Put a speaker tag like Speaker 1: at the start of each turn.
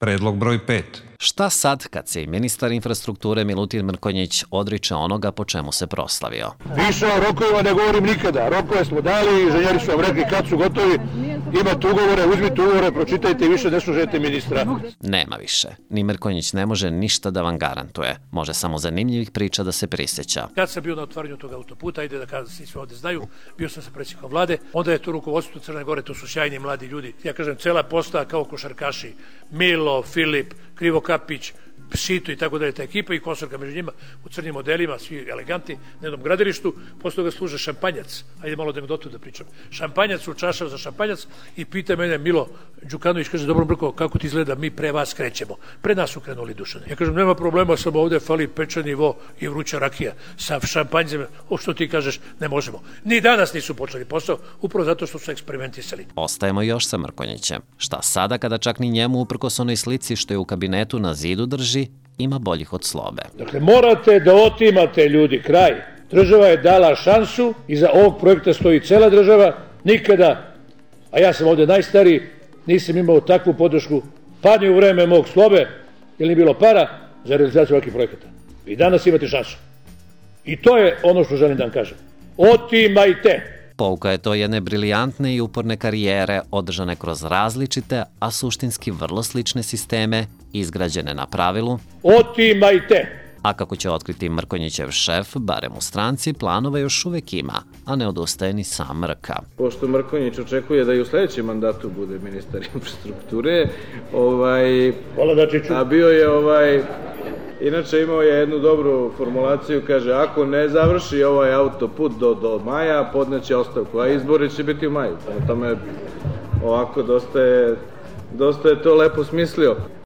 Speaker 1: Predlog broj 5.
Speaker 2: Šta sad kad se i ministar infrastrukture Milutin Mrkonjić odriče onoga po čemu se proslavio?
Speaker 3: Više o rokovima ne govorim nikada. Rokove smo dali, inženjeri su vam rekli kad su gotovi. Imate ugovore, uzmite ugovore, pročitajte i više ne slušajte ministra.
Speaker 2: Nema više. Ni Mrkonjić ne može ništa da vam garantuje. Može samo zanimljivih priča da se prisjeća.
Speaker 4: Kad sam bio na otvaranju tog autoputa, ajde da kažem, svi sve ovde znaju, bio sam sa predsjednikom vlade, onda je to rukovodstvo Crne Gore, to su sjajni mladi ljudi. Ja kažem, cela postava kao košarkaši, Milo, Filip, Krivokapić, Šito i tako dalje, ta ekipa i Kosorka među njima u crnim modelima, svi eleganti, na jednom gradilištu, posle toga služe šampanjac, ajde malo da anegdotu da pričam, šampanjac u čašav za šampanjac i pita mene Milo Đukanović, kaže, dobro Brko, kako ti izgleda, mi pre vas krećemo, pre nas su krenuli Dušane. Ja kažem, nema problema, samo ovde fali pečeni vo i vruća rakija sa šampanjcem, o što ti kažeš, ne možemo. Ni danas nisu počeli posao, upravo zato što su eksperimentisali.
Speaker 2: Ostajemo još sa Mrkonjićem. Šta sada kada čak ni njemu, uprkos onoj slici što je u kabinetu na zidu drži, ima boljih od Slobe.
Speaker 3: Dakle, morate da otimate ljudi kraj. Država je dala šansu, iza ovog projekta stoji cela država, nikada, a ja sam ovde najstariji, nisam imao takvu podršku, pa ni u vreme mog Slobe, jer nije bilo para za realizaciju ovakvih projekata. I danas imate šansu. I to je ono što želim da vam kažem. Otimajte!
Speaker 2: Pouka je to jedne briljantne i uporne karijere održane kroz različite, a suštinski vrlo slične sisteme, izgrađene na pravilu
Speaker 3: Otimajte!
Speaker 2: A kako će otkriti Mrkonjićev šef, barem u stranci, planova još uvek ima, a ne odustaje ni sam Mrka.
Speaker 5: Pošto Mrkonjić očekuje da i u sledećem mandatu bude ministar infrastrukture, a bio je inače imao je jednu dobru formulaciju, kaže, ako ne završi ovaj autoput do maja, podneće ostavku, a izbori će biti u maju. Prema tome, ovako, dosta je to lepo smislio.